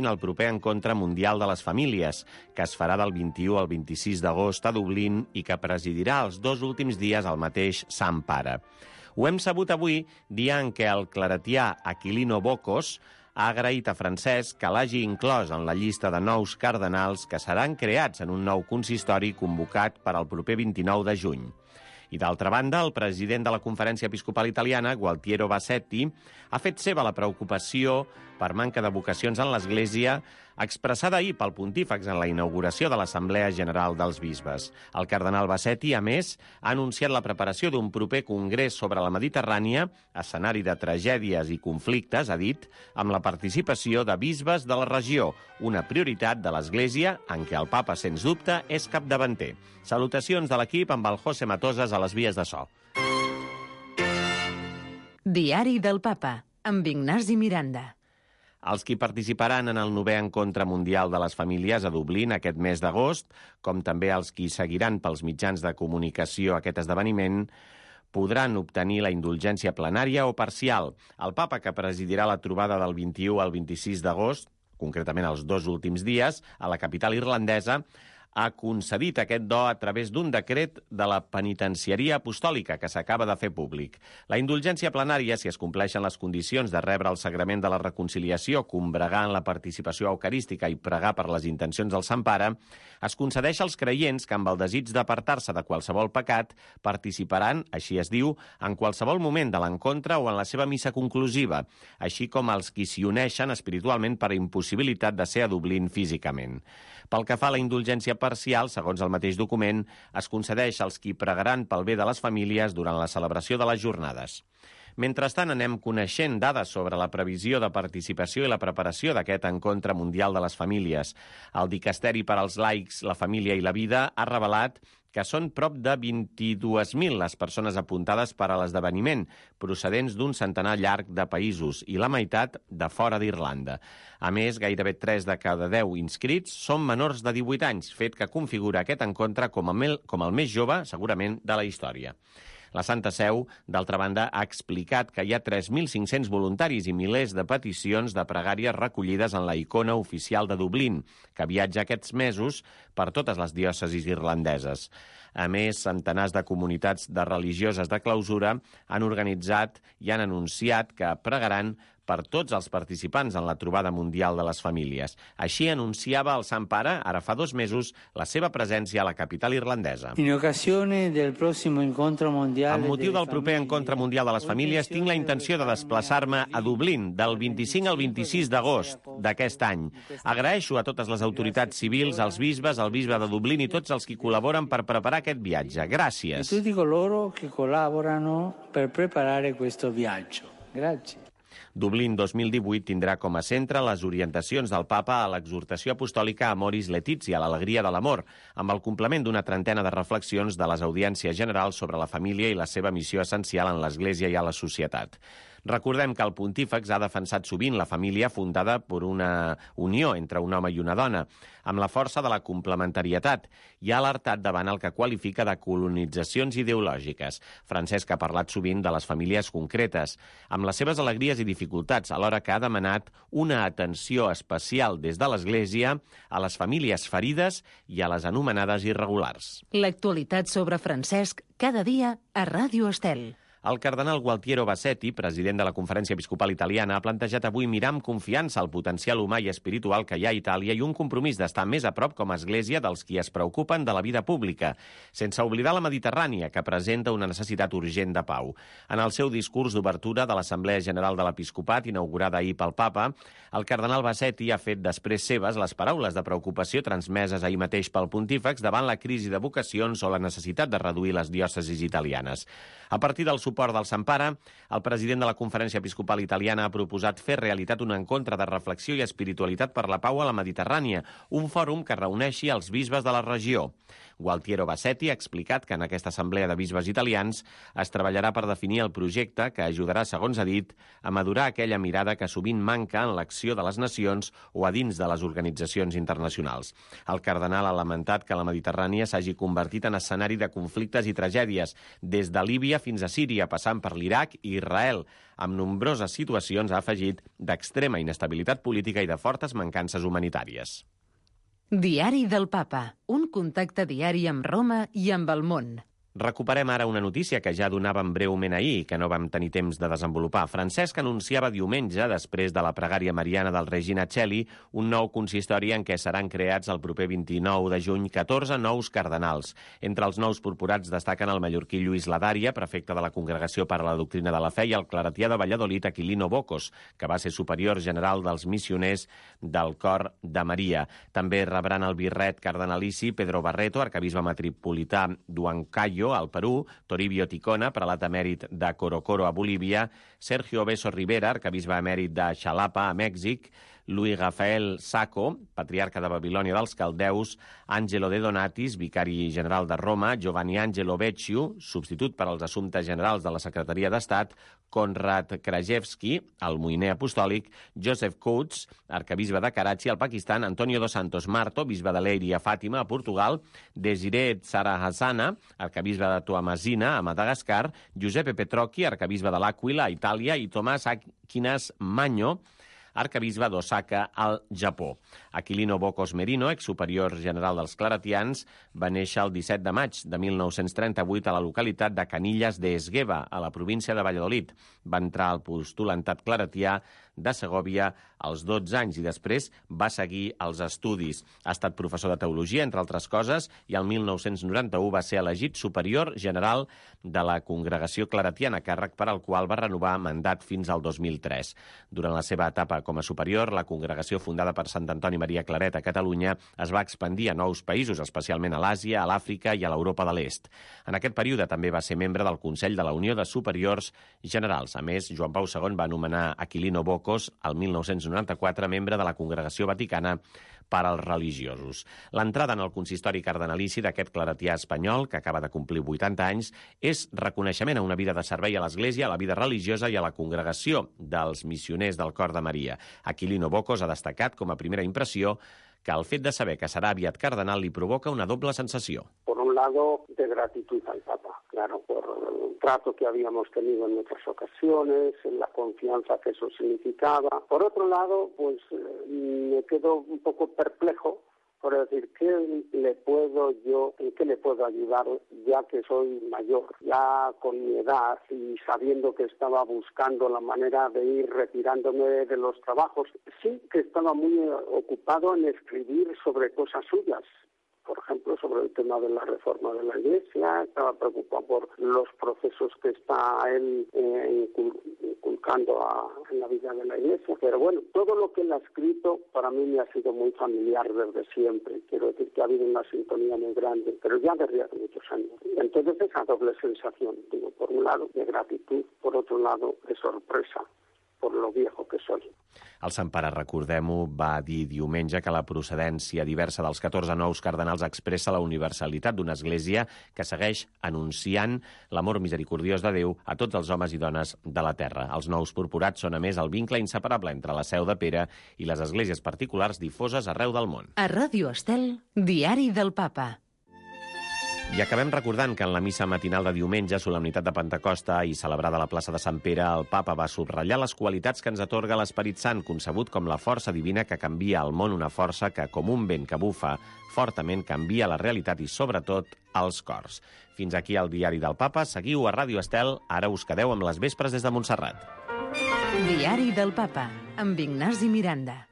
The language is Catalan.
el proper encontre mundial de les famílies, que es farà del 21 al 26 d'agost a Dublín i que presidirà els 2 últims dies el mateix Sant Pare. Ho hem sabut avui, dia en què el claretià Aquilino Bocos ha agraït a Francesc que l'hagi inclòs en la llista de nous cardenals que seran creats en un nou consistori convocat per al proper 29 de juny. I d'altra banda, el president de la Conferència Episcopal Italiana, Gualtiero Bassetti, ha fet seva la preocupació per manca de vocacions en l'Església expressada ahir pel pontífex en la inauguració de l'Assemblea General dels Bisbes. El cardenal Bassetti, a més, ha anunciat la preparació d'un proper congrés sobre la Mediterrània, escenari de tragèdies i conflictes, ha dit, amb la participació de bisbes de la regió, una prioritat de l'Església en què el papa, sens dubte, és capdavanter. Salutacions de l'equip amb el José Matosas a les vies de so. Diari del Papa, amb Ignasi Miranda. Els qui participaran en el 9è Encontre Mundial de les Famílies a Dublín aquest mes d'agost, com també els qui seguiran pels mitjans de comunicació aquest esdeveniment, podran obtenir la indulgència plenària o parcial. El papa, que presidirà la trobada del 21 al 26 d'agost, concretament els 2 últims dies, a la capital irlandesa, ha concedit aquest do a través d'un decret de la penitenciaria apostòlica que s'acaba de fer públic. La indulgència plenària, si es compleixen les condicions de rebre el sagrament de la reconciliació, combregar en la participació eucarística i pregar per les intencions del Sant Pare, es concedeix als creients que amb el desig d'apartar-se de qualsevol pecat participaran, així es diu, en qualsevol moment de l'encontre o en la seva missa conclusiva, així com els qui s'hi uneixen espiritualment per impossibilitat de ser a Dublín físicament. Pel que fa a la indulgència parcial, segons el mateix document, es concedeix als qui pregaran pel bé de les famílies durant la celebració de les jornades. Mentrestant, anem coneixent dades sobre la previsió de participació i la preparació d'aquest encontre mundial de les famílies. El Dicasteri per als laics, la família i la vida ha revelat que són prop de 22.000 les persones apuntades per a l'esdeveniment, procedents d'un centenar llarg de països i la meitat de fora d'Irlanda. A més, gairebé 3 de cada 10 inscrits són menors de 18 anys, fet que configura aquest encontre com el més jove, segurament, de la història. La Santa Seu, d'altra banda, ha explicat que hi ha 3.500 voluntaris i milers de peticions de pregàries recollides en la icona oficial de Dublín, que viatja aquests mesos per totes les diòcesis irlandeses. A més, centenars de comunitats de religioses de clausura han organitzat i han anunciat que pregaran per tots els participants en la trobada mundial de les famílies. Així anunciava el Sant Pare, ara fa 2 mesos, la seva presència a la capital irlandesa. Amb motiu del proper encontre mundial de les famílies, tinc la intenció de desplaçar-me a Dublín del 25 al 26 d'agost d'aquest any. Agraeixo a totes les autoritats civils, als bisbes, al bisbe de Dublín i tots els qui col·laboren per preparar aquest viatge. Gràcies. E tutti coloro che collaborano per preparare questo viaggio. Grazie. Dublín 2018 tindrà com a centre les orientacions del papa a l'exhortació apostòlica Amoris Laetitia, l'alegria de l'amor, amb el complement d'una trentena de reflexions de les audiències generals sobre la família i la seva missió essencial en l'Església i a la societat. Recordem que el pontífex ha defensat sovint la família fundada per una unió entre un home i una dona, amb la força de la complementarietat, i ha alertat davant el que qualifica de colonitzacions ideològiques. Francesc ha parlat sovint de les famílies concretes, amb les seves alegries i dificultats, alhora que ha demanat una atenció especial des de l'Església a les famílies ferides i a les anomenades irregulars. L'actualitat sobre Francesc cada dia a Ràdio Estel. El cardenal Gualtiero Bassetti, president de la Conferència Episcopal Italiana, ha plantejat avui mirar amb confiança el potencial humà i espiritual que hi ha a Itàlia i un compromís d'estar més a prop com a església dels qui es preocupen de la vida pública, sense oblidar la Mediterrània, que presenta una necessitat urgent de pau. En el seu discurs d'obertura de l'Assemblea General de l'Episcopat, inaugurada ahir pel papa, el cardenal Bassetti ha fet després seves les paraules de preocupació transmeses ahir mateix pel pontífex davant la crisi de vocacions o la necessitat de reduir les diòcesis italianes. A partir del suport del Sant Pare, el president de la Conferència Episcopal Italiana ha proposat fer realitat un encontre de reflexió i espiritualitat per la pau a la Mediterrània, un fòrum que reuneixi els bisbes de la regió. Gualtiero Bassetti ha explicat que en aquesta assemblea de bisbes italians es treballarà per definir el projecte que ajudarà, segons ha dit, a madurar aquella mirada que sovint manca en l'acció de les nacions o a dins de les organitzacions internacionals. El cardenal ha lamentat que la Mediterrània s'hagi convertit en escenari de conflictes i tragèdies, des de Líbia fins a Síria, Síria, passant per l'Iraq i Israel, amb nombroses situacions, ha afegit, d'extrema inestabilitat política i de fortes mancances humanitàries. Diari del Papa, un contacte diari amb Roma i amb el món. Recuperem ara una notícia que ja donàvem breument ahir i que no vam tenir temps de desenvolupar. Francesc anunciava diumenge, després de la pregària mariana del Regina Coeli, un nou consistori en què seran creats el proper 29 de juny 14 nous cardenals. Entre els nous purpurats destaquen el mallorquí Lluís Ladària, prefecte de la Congregació per a la Doctrina de la Fe, i el claretià de Valladolid, Aquilino Bocos, que va ser superior general dels missioners del Cor de Maria. També rebran el birret cardenalici Pedro Barreto, arcabisbe metropolità d'Huancayo, al Perú, Toribio Ticona, prelat emèrit de Corocoro, a Bolívia, Sergio Beso Rivera, arcabisbe emèrit de Xalapa, a Mèxic, Luis Rafael Sacco, patriarca de Babilònia dels Caldeus, Angelo De Donatis, vicari general de Roma, Giovanni Angelo Vecchio, substitut per als assumptes generals de la Secretaria d'Estat, Konrad Krajewski, el moïner apostòlic, Joseph Coates, arcabisbe de Karachi, al Pakistan, Antonio dos Santos Marto, bisbe de Leiria, a Fàtima, a Portugal, Desiree Tsarahassana, arcabisbe de Toamasina, a Madagascar, Giuseppe Petrocchi, arcabisbe de l'Àquila, a Itàlia, i Tomàs Aquinas Magno, arcabisbe d'Osaka, al Japó. Aquilino Bocos Merino, exsuperior general dels claretians, va néixer el 17 de maig de 1938 a la localitat de Canillas de Esgueva, a la província de Valladolid. Va entrar al postulantat claretià de Segòvia als 12 anys i després va seguir els estudis. Ha estat professor de teologia, entre altres coses, i el 1991 va ser elegit superior general de la Congregació Claretiana, càrrec per al qual va renovar mandat fins al 2003. Durant la seva etapa com a superior, la congregació fundada per Sant Antoni Maria Claret a Catalunya es va expandir a nous països, especialment a l'Àsia, a l'Àfrica i a l'Europa de l'Est. En aquest període també va ser membre del Consell de la Unió de Superiors Generals. A més, Joan Pau II va anomenar Aquilino Bocos el 1994 membre de la Congregació Vaticana per als religiosos. L'entrada en el consistori cardenalici d'aquest claretià espanyol, que acaba de complir 80 anys, és reconeixement a una vida de servei a l'Església, a la vida religiosa i a la congregació dels missioners del Cor de Maria. Aquilino Bocos ha destacat com a primera impressió que el fet de saber que serà aviat cardenal li provoca una doble sensació. Por un lado, de gratitud al Papa, claro, por el trato que habíamos tenido en otras ocasiones, en la confianza que eso significaba. Por otro lado, pues me quedo un poco perplejo por decir, en qué le puedo ayudar ya que soy mayor, ya con mi edad y sabiendo que estaba buscando la manera de ir retirándome de los trabajos. Sí que estaba muy ocupado en escribir sobre cosas suyas. Por ejemplo, sobre el tema de la reforma de la Iglesia, estaba preocupado por los procesos que está él inculcando en la vida de la Iglesia. Pero bueno, todo lo que él ha escrito para mí me ha sido muy familiar desde siempre. Quiero decir que ha habido una sintonía muy grande, pero ya desde hace muchos años. Entonces esa doble sensación, digo, por un lado de gratitud, por otro lado de sorpresa por lo viejo que soy. El Sant Pare, recordem-ho, va dir diumenge que la procedència diversa dels 14 nous cardenals expressa la universalitat d'una església que segueix anunciant l'amor misericordiós de Déu a tots els homes i dones de la terra. Els nous purpurats són, a més, el vincle inseparable entre la Seu de Pere i les esglésies particulars difoses arreu del món. A Ràdio Estel, Diari del Papa. I acabem recordant que en la missa matinal de diumenge, solemnitat de Pentecosta i celebrada a la plaça de Sant Pere, el Papa va subratllar les qualitats que ens atorga l'Esperit Sant, concebut com la força divina que canvia el món, una força que, com un vent que bufa fortament, canvia la realitat i, sobretot, els cors. Fins aquí el Diari del Papa. Seguiu a Ràdio Estel. Ara us quedeu amb les vespres des de Montserrat. Diari del Papa, amb Ignasi Miranda.